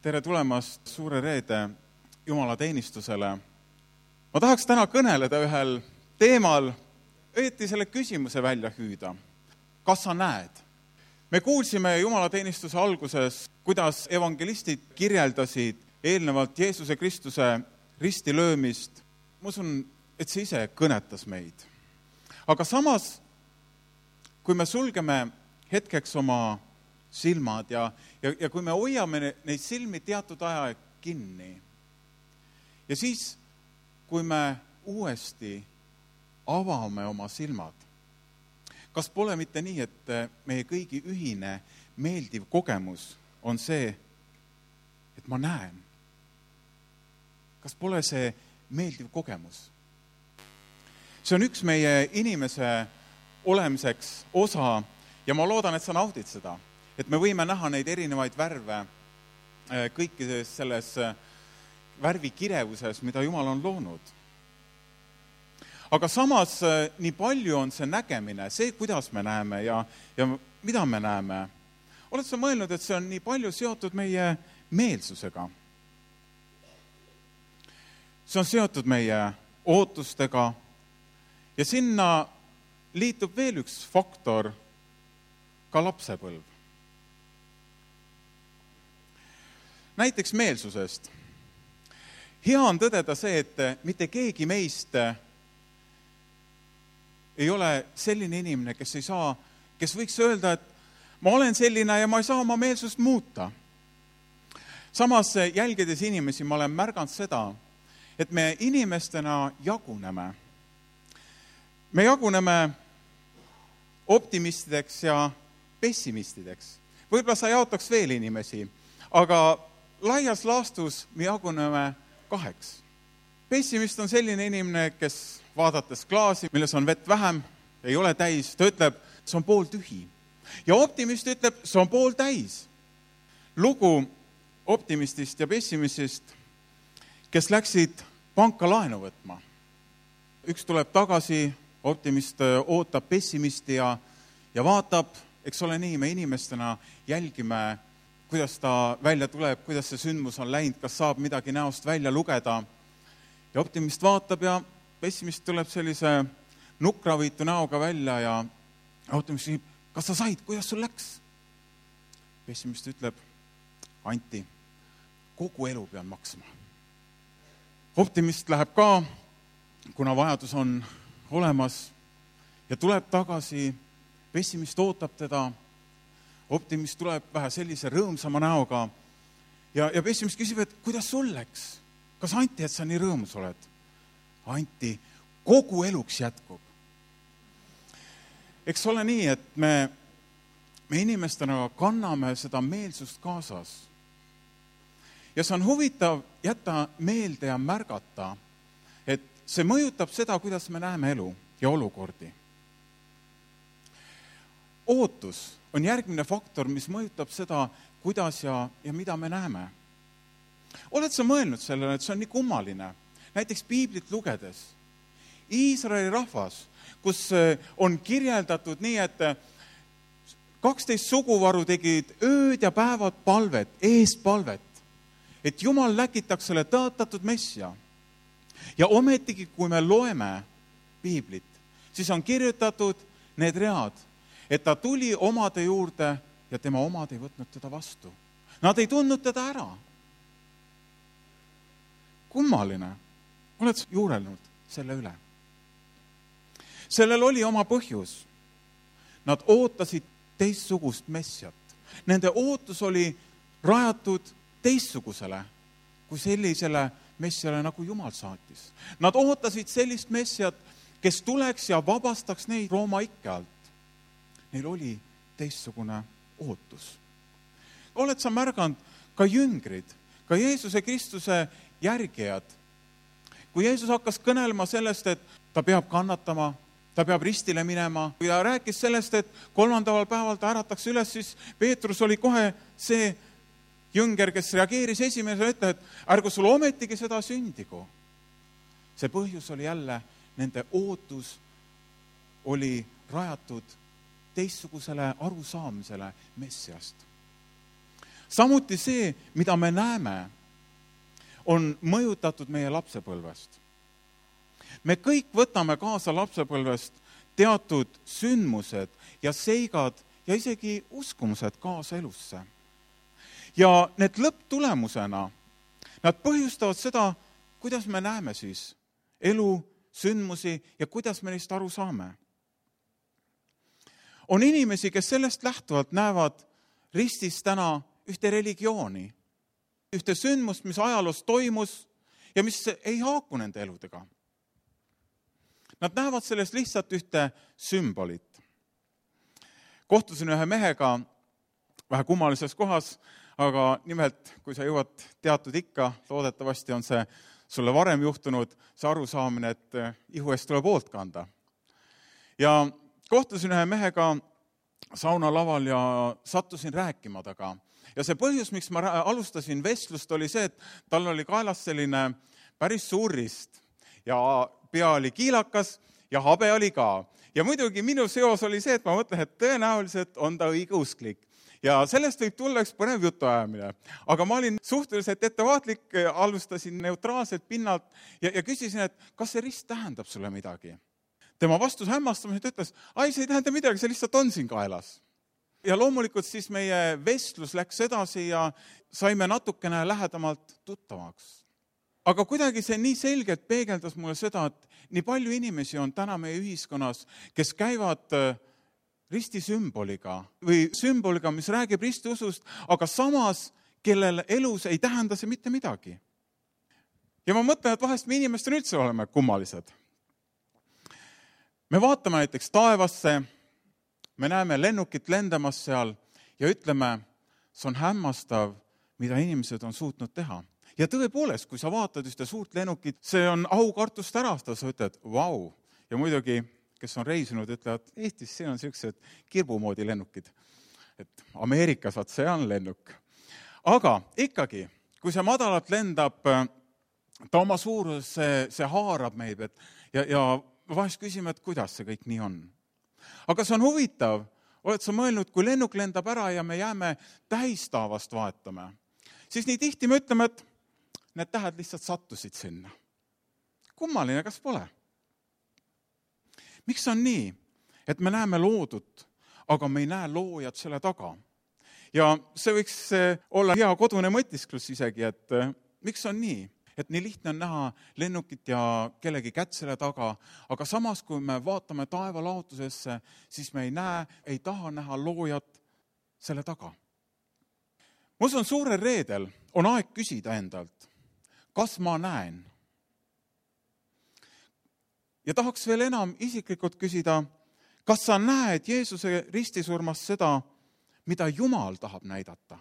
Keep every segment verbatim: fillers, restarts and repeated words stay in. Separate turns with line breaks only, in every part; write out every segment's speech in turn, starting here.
tere tulemast Suure Reede jumalateenistusele. Ma tahaks täna kõneleda ühel teemal, õieti selle küsimuse välja hüüda. Kas sa näed? Me kuulsime jumalateenistuse alguses, kuidas evangelistid kirjeldasid eelnevalt Jeesuse Kristuse ristilöömist. Ma usun, et see ise kõnetas meid. Aga samas, kui me sulgeme hetkeks oma silmad ja, ja, ja kui me hoiame neid silmi teatud aja kinni ja siis, kui me uuesti avame oma silmad, kas pole mitte nii, et meie kõigi ühine meeldiv kogemus on see, et ma näen? Kas pole see meeldiv kogemus? See on üks meie inimese olemiseks osa ja ma loodan, et sa naudid seda. Et me võime näha neid erinevaid värve kõikides selles värvikirevuses, mida Jumal on loonud. Aga samas nii palju on see nägemine, see, kuidas me näeme ja, ja mida me näeme. Oled sa mõelnud, et see on nii palju seotud meie meelsusega? See on seotud meie ootustega ja sinna liitub veel üks faktor, ka lapsepõlv. Näiteks meelsusest. Hea on tõdeda see, et mitte keegi meist ei ole selline inimene, kes ei saa, kes võiks öelda, et ma olen selline ja ma ei saa oma meelsust muuta. Samas jälgides inimesi ma olen märganud seda, et me inimestena jaguneme. Me jaguneme optimistideks ja pessimistideks. Võib-olla sa jaotaks veel inimesi, aga laias laastus me jaguneme kaheks. Pessimist on selline inimene, kes vaadates klaasi, milles on vett vähem, ei ole täis, ta ütleb, see on pool tühi. Ja optimist ütleb, see on pool täis. Lugu optimistist ja pessimistist, kes läksid panka laenu võtma. Üks tuleb tagasi, optimist ootab pessimisti ja, ja vaatab, eks ole nii, me inimestena jälgime, kuidas ta välja tuleb, kuidas see sündmus on läinud, kas saab midagi näost välja lugeda. Ja optimist vaatab ja pessimist tuleb sellise nukraviitu näoga välja ja optimist küsib, kas sa said, kuidas sul läks? Pessimist ütleb, Anti, kogu elu pean maksma. Optimist läheb ka, kuna vajadus on olemas ja tuleb tagasi, pessimist ootab teda, optimist tuleb vähe sellise rõõmsama näoga ja, ja pessimist küsib, et kuidas sul läks? Kas Anti, et sa nii rõõmus oled? Anti, kogu eluks jätkub. Eks ole nii, et me, me inimestena kanname seda meelsust kaasas. Ja see on huvitav jätta meelde ja märgata, et see mõjutab seda, kuidas me näeme elu ja olukordi. Ootus on järgmine faktor, mis mõjutab seda, kuidas ja, ja mida me näeme. Oled sa mõelnud sellele, et see on nii kummaline? Näiteks Piiblit lugedes. Iisraeli rahvas, kus on kirjeldatud nii, et kaksteist suguvaru tegid ööd ja päevad palvet, eespalvet, et Jumal läkitaks selle tõotatud messia. Ja ometigi, kui me loeme Piiblit, siis on kirjutatud need read, et ta tuli omade juurde ja tema omad ei võtnud teda vastu. Nad ei tundnud teda ära. Kummaline. Oled juurelnud selle üle? Sellel oli oma põhjus. Nad ootasid teistsugust messiat. Nende ootus oli rajatud teistsugusele kui sellisele messiale, nagu Jumal saatis. Nad ootasid sellist messiat, kes tuleks ja vabastaks neid Rooma ikke alt. Neil oli teistsugune ootus. Oled sa märganud ka jüngrid, ka Jeesuse Kristuse järgijad? Kui Jeesus hakkas kõnelema sellest, et ta peab kannatama, ta peab ristile minema, kui ta rääkis sellest, et kolmandaval päeval ta ärataks üles, siis Peetrus oli kohe see jünger, kes reageeris esimesele, ütle, et ärgu sul ometigi seda sündigu. See põhjus oli jälle, nende ootus oli rajatud teistsugusele arusaamisele messiast. samuti see, mida me näeme, on mõjutatud meie lapsepõlvest. Me kõik võtame kaasa lapsepõlvest teatud sündmused ja seigad ja isegi uskumused kaasa elusse. Ja need lõpptulemusena, nad põhjustavad seda, kuidas me näeme siis elu, sündmusi ja kuidas me neist aru saame. On inimesi, kes sellest lähtuvalt näevad ristis täna ühte religiooni, ühte sündmust, mis ajaloos toimus ja mis ei haaku nende eludega. Nad näevad sellest lihtsalt ühte sümbolit. Kohtusin ühe mehega vähe kummalises kohas, aga nimelt, kui sa jõuad teatud ikka, loodetavasti on see sulle varem juhtunud, see arusaamine, et ihu eest tuleb hoolt kanda. Ja kohtusin ühe mehega saunalaval ja sattusin rääkima taga. Ja see põhjus, miks ma alustasin vestlust, oli see, et tal oli kaelas selline päris suur rist ja pea oli kiilakas ja habe oli ka. Ja muidugi minu seos oli see, et ma mõtlen, et tõenäoliselt on ta õigeusklik. Ja sellest võib tulla üks põnev jutuajamine. Aga ma olin suhteliselt ettevaatlik, alustasin neutraalselt pinnalt ja, ja küsisin, et kas see rist tähendab sulle midagi. Tema vastus hämmastamisest ütles, ai, see ei tähenda midagi, see lihtsalt on siin kaelas. Ja loomulikult siis meie vestlus läks edasi ja saime natukene lähedamalt tuttavaks. Aga kuidagi see nii selgelt peegeldas mulle seda, et nii palju inimesi on täna meie ühiskonnas, kes käivad risti sümboliga või sümboliga, mis räägib ristiusust, aga samas, kellel elus ei tähenda see mitte midagi. Ja ma mõtlen, et vahest me inimestena üldse oleme kummalised. Me vaatame näiteks taevasse, me näeme lennukit lendamas seal ja ütleme, see on hämmastav, mida inimesed on suutnud teha. Ja tõepoolest, kui sa vaatad ühte suurt lennukit, see on aukartust ärasta, sa ütled, vau. Ja muidugi, kes on reisinud, ütlevad, Eestis see on sellised kirbumoodi lennukid. Et Ameerikas vaat see on lennuk. Aga ikkagi, kui see madalalt lendab, ta oma suurus, see, see haarab meid et, ja, ja vahest küsime, et kuidas see kõik nii on. Aga see on huvitav, oled sa mõelnud, kui lennuk lendab ära ja me jääme tähistaavast vaatama, siis nii tihti me ütleme, et need tähed lihtsalt sattusid sinna. Kummaline, kas pole? Miks on nii, et me näeme loodut, aga me ei näe loojat selle taga? Ja see võiks olla hea kodune mõtisklus isegi, et miks on nii, et nii lihtne on näha lennukit ja kellegi kätt selle taga, aga samas, kui me vaatame taeva laotusesse, siis me ei näe, ei taha näha loojat selle taga. Ma usun, suurel reedel on aeg küsida endalt, kas ma näen? Ja tahaks veel enam isiklikult küsida, kas sa näed Jeesuse ristisurmas seda, mida Jumal tahab näidata?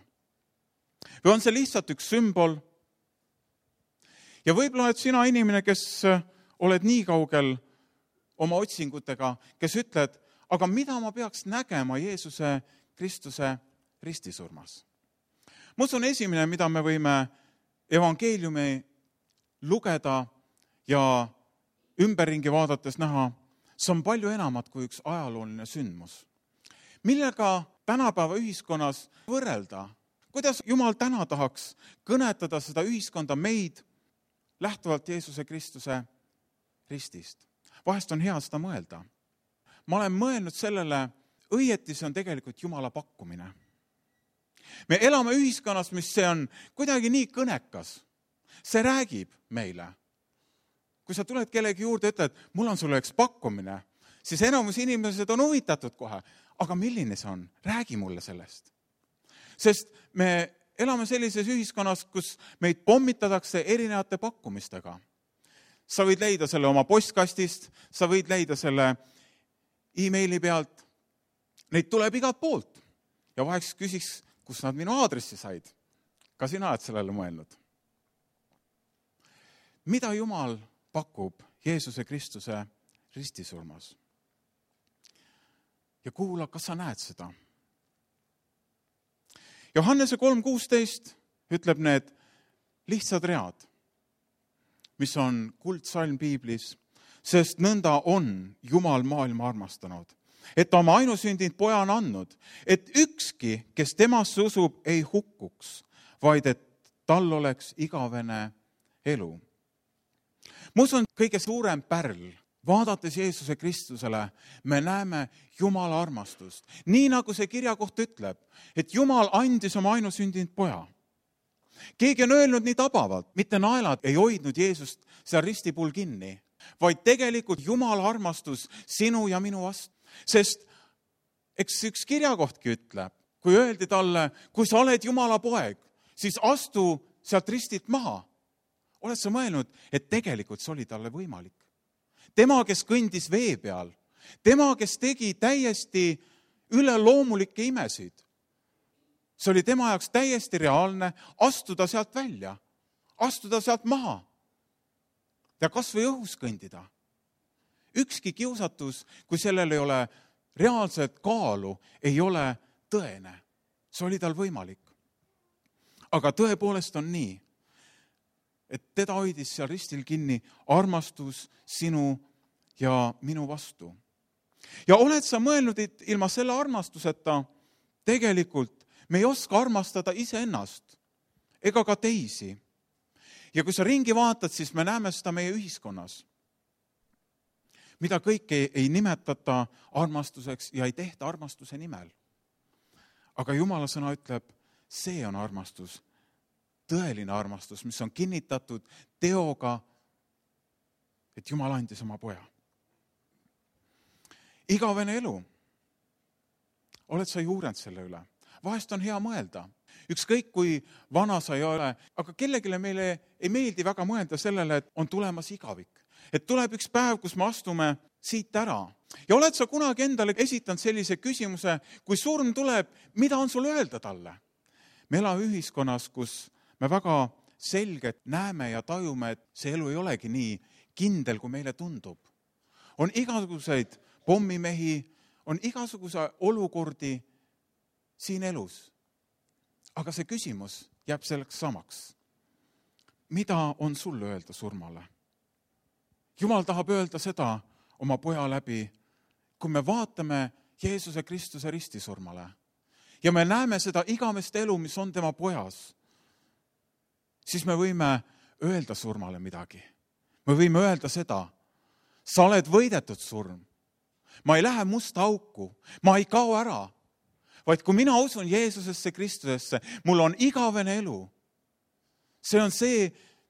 Või on see lihtsalt üks sümbol? Ja võib-olla oled sina inimene, kes oled nii kaugel oma otsingutega, kes ütled, aga mida ma peaks nägema Jeesuse Kristuse ristisurmas? Ma usun esimene, mida me võime evangeeliumi lugeda ja ümberringi vaadates näha, see on palju enamat kui üks ajalooline sündmus. Millega tänapäeva ühiskonnas võrrelda? Kuidas Jumal täna tahaks kõnetada seda ühiskonda meid lähtuvalt Jeesuse Kristuse ristist? Vahest on hea seda mõelda. Ma olen mõelnud sellele, õieti see on tegelikult Jumala pakkumine. Me elame ühiskonnas, mis see on kuidagi nii kõnekas. See räägib meile. Kui sa tuled kellegi juurde ja ütled, mul on sulle üks pakkumine, siis enamus inimesed on huvitatud kohe. Aga milline see on? Räägi mulle sellest. Sest me elame sellises ühiskonnas, kus meid pommitatakse erinevate pakkumistega. Sa võid leida selle oma postkastist, sa võid leida selle e-maili pealt. Neid tuleb igalt poolt. Ja vaheks küsiks, kus nad minu aadressi said. Ka sina oled sellele mõelnud. Mida Jumal pakub Jeesuse Kristuse ristisurmas? Ja kuula, kas sa näed seda? Johannese kolm kuusteist ütleb need lihtsad read, mis on kuldsalm piiblis, sest nõnda on Jumal maailma armastanud, et ta oma ainusündinud poja on andnud, et ükski, kes temasse usub, ei hukkuks, vaid et tal oleks igavene elu. Ma usun, kõige suurem pärl, vaadates Jeesuse Kristusele, me näeme Jumala armastust. Nii nagu see kirjakoht ütleb, et Jumal andis oma ainusündinud poja. Keegi on öelnud nii tabavalt, mitte naelad ei hoidnud Jeesust seal ristipuul kinni, vaid tegelikult Jumala armastus sinu ja minu vastu. Sest eks üks kirjakohtki ütleb, kui öeldi talle, kui sa oled Jumala poeg, siis astu sealt ristilt maha. Oled sa mõelnud, et tegelikult see oli talle võimalik? Tema, kes kõndis vee peal, tema, kes tegi täiesti üleloomulikke imesid. See oli tema jaoks täiesti reaalne astuda sealt välja, astuda sealt maha ja kas või õhus kõndida. Ükski kiusatus, kui sellel ei ole reaalset kaalu, ei ole tõene. See oli tal võimalik. Aga tõepoolest on nii, et teda hoidis seal ristil kinni armastus sinu ja minu vastu. Ja oled sa mõelnud, et ilma selle armastuseta tegelikult me ei oska armastada iseennast ega ka teisi. Ja kui sa ringi vaatad, siis me näeme seda meie ühiskonnas, mida kõike ei, ei nimetata armastuseks ja ei tehta armastuse nimel. Aga Jumala sõna ütleb, see on armastus, tõeline armastus, mis on kinnitatud teoga, et Jumal andis oma poja. Igavene elu. Oled sa juurend selle üle? Vahest on hea mõelda. Ükskõik kui vana sa ei ole, aga kellegile meile ei meeldi väga mõelda sellele, et on tulemas igavik. Et tuleb üks päev, kus me astume siit ära. Ja oled sa kunagi endale esitanud sellise küsimuse, kui surm tuleb, mida on sul öelda talle? Me elame ühiskonnas, kus me väga selgelt näeme ja tajume, et see elu ei olegi nii kindel, kui meile tundub. On igasuguseid pommimehi, on igasuguse olukordi siin elus. Aga see küsimus jääb selleks samaks. Mida on sul öelda surmale? Jumal tahab öelda seda oma poja läbi, kui me vaatame Jeesuse Kristuse ristisurmale ja me näeme seda igavest elu, mis on tema pojas, siis me võime öelda surmale midagi. Me võime öelda seda, sa oled võidetud surm. Ma ei lähe musta auku, ma ei kao ära, vaid kui mina usun Jeesusesse Kristusesse, mul on igavene elu. See on see,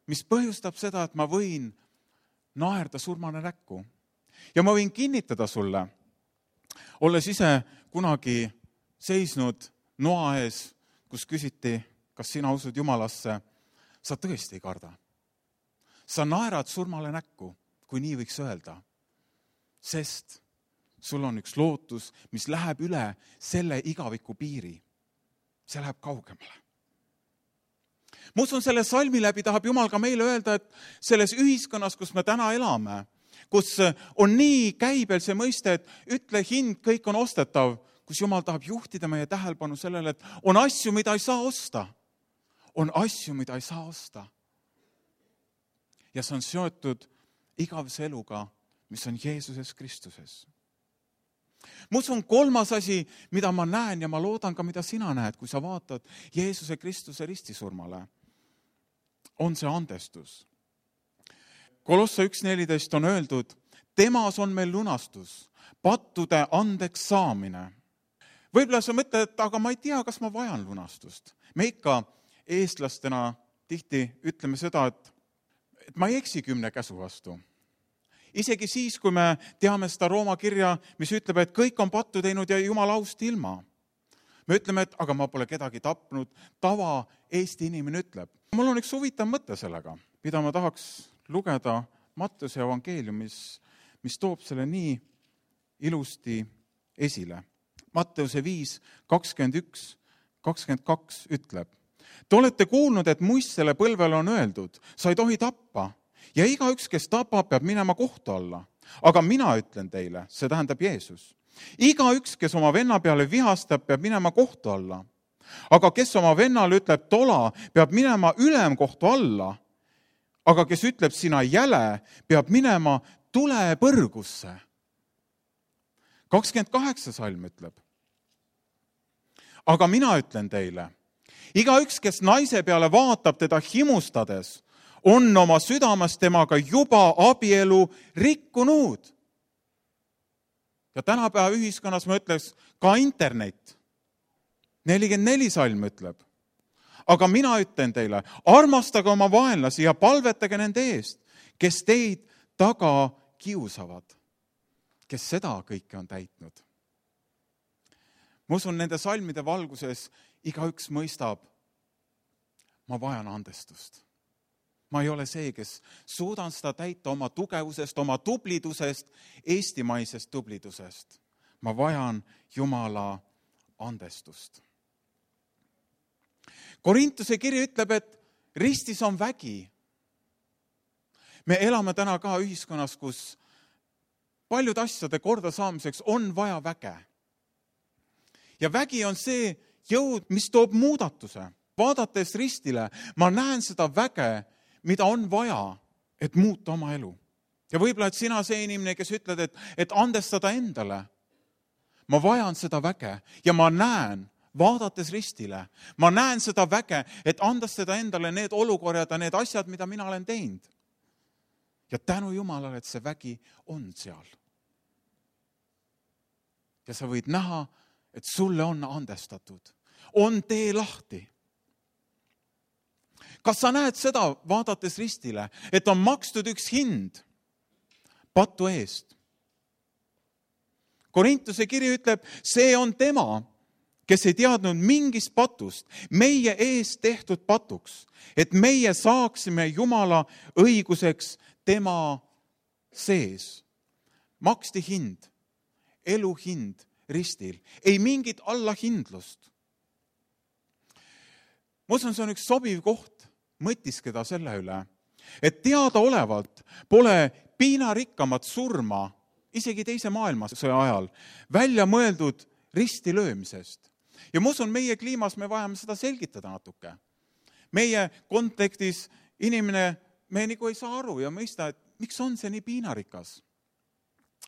mis põhjustab seda, et ma võin naerda surmane näkku. Ja ma võin kinnitada sulle, olles ise kunagi seisnud noa ees, kus küsiti, kas sina usud Jumalasse, sa tõesti ei karda. Sa naerad surmale näkku, kui nii võiks öelda, sest sul on üks lootus, mis läheb üle selle igaviku piiri. See läheb kaugemale. Ma usun, selle salmi läbi tahab Jumal ka meile öelda, et selles ühiskonnas, kus me täna elame, kus on nii käibel see mõiste, et ütle hind, kõik on ostetav, kus Jumal tahab juhtida meie tähelepanu sellele, et on asju, mida ei saa osta. On asju, mida ei saa osta. Ja see on seotud igavese eluga, mis on Jeesuses Kristuses. Ma usun, kolmas asi, mida ma näen ja ma loodan ka, mida sina näed, kui sa vaatad Jeesuse Kristuse ristisurmale, on see andestus. Kolosse üks neliteist on öeldud, temas on meil lunastus, pattude andeks saamine. Võib-olla sa mõtled, et aga ma ei tea, kas ma vajan lunastust. Me ikka eestlastena tihti ütleme seda, et, et ma ei eksi kümne käsu vastu. Isegi siis, kui me teame seda Rooma kirja, mis ütleb, et kõik on pattu teinud ja Jumal aust ilma. Me ütleme, et aga ma pole kedagi tapnud, tava Eesti inimene ütleb. Mul on üks huvitav mõte sellega, mida ma tahaks lugeda Matteuse evangeeliumis, mis toob selle nii ilusti esile. Matteuse viis kakskümmend üks kakskümmend kaks ütleb, te olete kuulnud, et muistsele põlvele on öeldud, sa ei tohi tappa. Ja igaüks, kes tapab, peab minema kohtu alla. Aga mina ütlen teile, see tähendab Jeesus. Igaüks, kes oma venna peale vihastab, peab minema kohtu alla. Aga kes oma vennale ütleb tola, peab minema ülemkohtu alla. Aga kes ütleb sina jäle, peab minema tulepõrgusse. kakskümmend kaheksa salm ütleb. Aga mina ütlen teile, igaüks, kes naise peale vaatab teda himustades, on oma südames temaga juba abielu rikkunud. Ja tänapäeva ühiskonnas ma ütleks ka internet. nelikümmend neli salm ütleb. Aga mina ütlen teile, armastage oma vaenlasi ja palvetage nende eest, kes teid taga kiusavad, kes seda kõike on täitnud. Ma usun, nende salmide valguses igaüks mõistab, ma vajan andestust. Ma ei ole see, kes suudan seda täita oma tugevusest, oma tublidusest, eestimaisest tublidusest. Ma vajan Jumala andestust. Korintuse kiri ütleb, et ristis on vägi. Me elame täna ka ühiskonnas, kus paljud asjade korda saamiseks on vaja väge. Ja vägi on see jõud, mis toob muudatuse. Vaadates ristile, ma näen seda väge, mida on vaja, et muuta oma elu. Ja võib-olla, et sina see inimene, kes ütled, et, et andestada endale. Ma vajan seda väge ja ma näen, vaadates ristile, ma näen seda väge, et andestada endale need olukorrad ja need asjad, mida mina olen teinud. Ja tänu Jumalale, et see vägi on seal. Ja sa võid näha, et sulle on andestatud. On tee lahti. Kas sa näed seda, vaadates ristile, et on makstud üks hind patu eest? Korintuse kiri ütleb, see on tema, kes ei teadnud mingist patust, meie eest tehtud patuks, et meie saaksime Jumala õiguseks tema sees. Maksti hind, elu hind ristil, ei mingit allahindlust. Ma usun, see on üks sobiv koht mõtiskeda selle üle, et teadaolevalt pole piinarikkamat surma isegi teise maailmasõja ajal välja mõeldud risti löömisest. Ja ma usun, meie kliimas me vajame seda selgitada natuke. Meie kontekstis inimene, me nagu ei saa aru ja mõista, et miks on see nii piinarikas.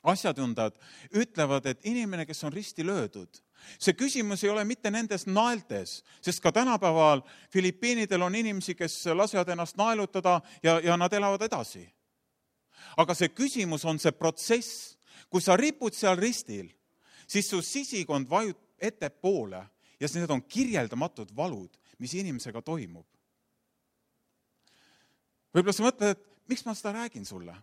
Asjatundad ütlevad, et inimene, kes on risti löödud, see küsimus ei ole mitte nendes naeltes, sest ka tänapäeval Filipiinidel on inimesi, kes lasevad ennast naelutada ja, ja nad elavad edasi. Aga see küsimus on see protsess, kui sa ripud seal ristil, siis su sisikond vajub ettepoole ja need on kirjeldamatud valud, mis inimesega toimub. Võib-olla sa mõtled, et miks ma seda räägin sulle?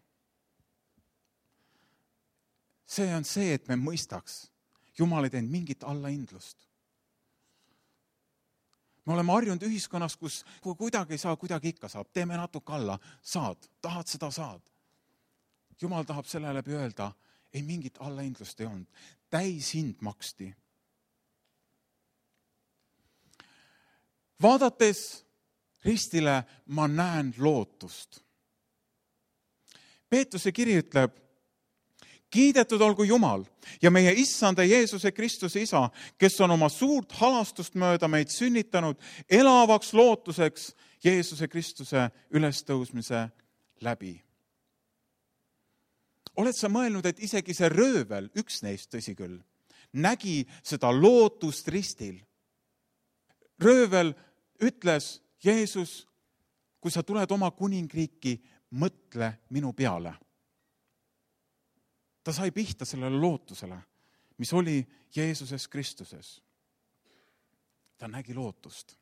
See on see, et me mõistaks, Jumal ei teinud mingit allahindlust. Me oleme harjunud ühiskonnas, kus kui kuidagi ei saa, kuidagi ikka saab. Teeme natuke alla, saad, tahad seda saad. Jumal tahab selle läbi öelda, ei mingit allahindlust ei olnud. Täis hind maksti. Vaadates ristile ma näen lootust. Peetruse kiri ütleb, kiidetud olgu Jumal ja meie issanda Jeesuse Kristuse isa, kes on oma suurt halastust mööda meid sünnitanud elavaks lootuseks Jeesuse Kristuse ülestõusmise läbi. Oled sa mõelnud, et isegi see röövel, üks neist tõsi küll, nägi seda lootust ristil? Röövel ütles, Jeesus, kui sa tuled oma kuningriiki, mõtle minu peale. Ta sai pihta sellele lootusele, mis oli Jeesuses Kristuses. Ta nägi lootust.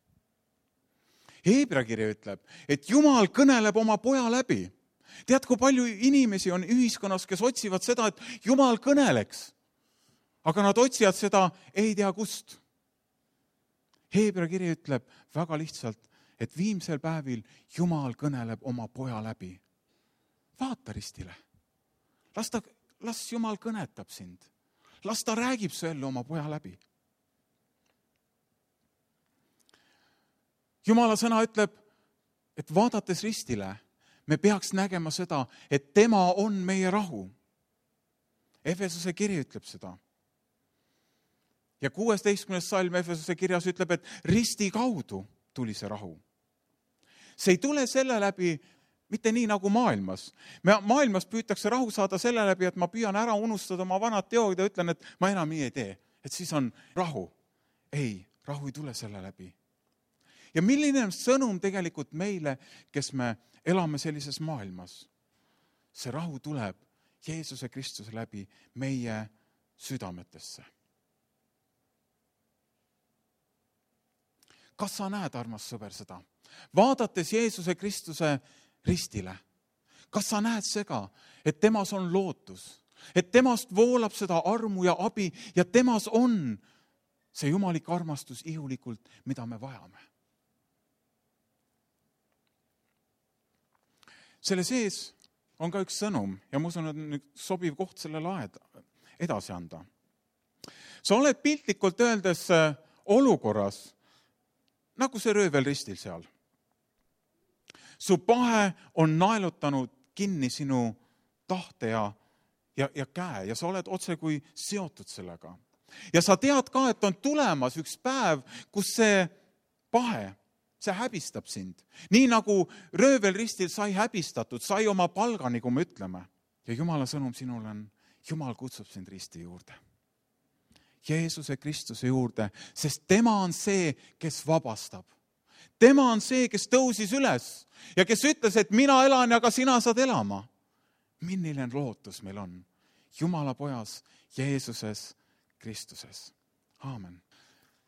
Heebrea kiri ütleb, et Jumal kõneleb oma poja läbi. Tead, kui palju inimesi on ühiskonnas, kes otsivad seda, et Jumal kõneleks, aga nad otsivad seda ei tea kust. Heebrea kiri ütleb väga lihtsalt, et viimsel päevil Jumal kõneleb oma poja läbi. Vaata ristile. Las ta Las Jumal kõnetab sind. Las ta räägib su ellu oma poja läbi. Jumala sõna ütleb, et vaadates ristile, me peaks nägema seda, et tema on meie rahu. Efesuse kiri ütleb seda. Ja kuueteistkümnes salm Efesuse kirjas ütleb, et risti kaudu tuli see rahu. See ei tule selle läbi, mitte nii nagu maailmas. Maailmas püütakse rahu saada selle läbi, et ma püüan ära unustada oma vanad teod ja ütlen, et ma enam nii ei tee. Et siis on rahu. Ei, rahu ei tule selle läbi. Ja milline on sõnum tegelikult meile, kes me elame sellises maailmas? See rahu tuleb Jeesuse Kristuse läbi meie südametesse. Kas sa näed, armas sõber, seda? Vaadates Jeesuse Kristuse ristile, kas sa näed sega, et temas on lootus, et temast voolab seda armu ja abi ja temas on see jumalik armastus ihulikult, mida me vajame? Selle sees on ka üks sõnum ja ma usun, et on sobiv koht selle laed edasi anda. Sa oled piltlikult öeldes olukorras, nagu see röövel ristil seal. Su pahe on naelutanud kinni sinu tahte ja, ja, ja käe ja sa oled otse kui seotud sellega. Ja sa tead ka, et on tulemas üks päev, kus see pahe, see häbistab sind. Nii nagu röövel ristil sai häbistatud, sai oma palgani, kui me ütleme. Ja Jumala sõnum sinule on, Jumal kutsub sind risti juurde. Jeesuse Kristuse juurde, sest tema on see, kes vabastab. Tema on see, kes tõusis üles ja kes ütles, et mina elan ja ka sina saad elama. Milline lootus meil on? Jumala pojas Jeesuses Kristuses. Aamen.